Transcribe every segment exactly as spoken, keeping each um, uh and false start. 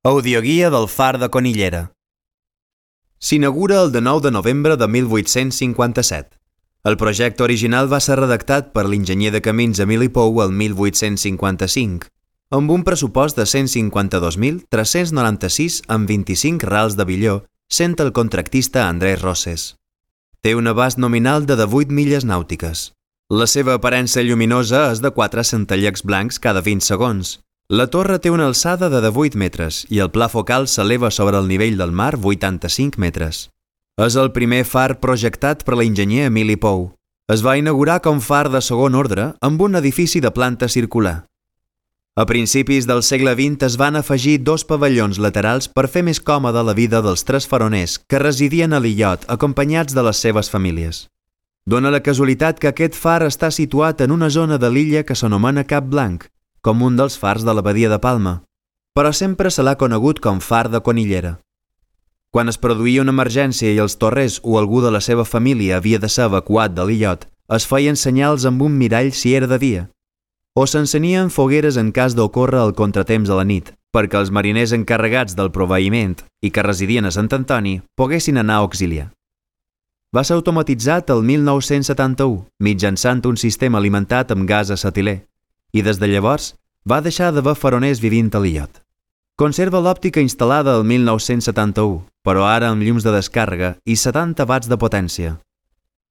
Audioguia del Far de Conillera. S'inaugura el dinou de novembre de mil vuit-cents cinquanta-set. El projecte original va ser redactat per l'enginyer de camins Emili Pou el mil vuit-cents cinquanta-cinc, amb un pressupost de cent cinquanta-dos mil tres-cents noranta-sis amb vint-i-cinc rals de billó, sent el contractista Andrés Roses. Té un abast nominal de divuit milles nàutiques. La seva aparença lluminosa és de quatre centellecs blancs cada vint segons. La torre té una alçada de divuit metres i el pla focal s'eleva sobre el nivell del mar vuitanta-cinc metres. És el primer far projectat per l'enginyer Emili Pou. Es va inaugurar com far de segon ordre amb un edifici de planta circular. A principis del segle vint es van afegir dos pavellons laterals per fer més còmoda la vida dels tres faroners que residien a l'illot acompanyats de les seves famílies. Dóna la casualitat que aquest far està situat en una zona de l'illa que s'anomena Cap Blanc, com un dels fars de la badia de Palma, però sempre se l'ha conegut com Far de Conillera. Quan es produïa una emergència i els torrers o algú de la seva família havia de ser evacuat de l'illot, es feien senyals amb un mirall si era de dia, o s'encenien fogueres en cas d'ocórrer el contratemps a la nit, perquè els mariners encarregats del proveïment i que residien a Sant Antoni poguessin anar a auxiliar. Va ser automatitzat el mil nou-cents setanta-u mitjançant un sistema alimentat amb gas acetilè, i des de llavors va deixar d'haver faroners vivint a l'illot. Conserva l'òptica instal·lada el mil nou-cents setanta-u, però ara amb llums de descàrrega i setanta watts de potència.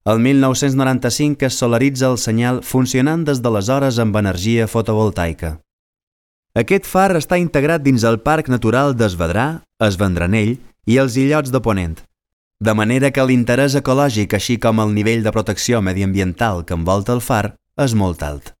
El mil nou-cents noranta-cinc es solaritza el senyal funcionant des d'aleshores amb energia fotovoltaica. Aquest far està integrat dins el Parc Natural d'Esvedrà, Es Vendranell i els illots de Ponent, de manera que l'interès ecològic així com el nivell de protecció mediambiental que envolta el far és molt alt.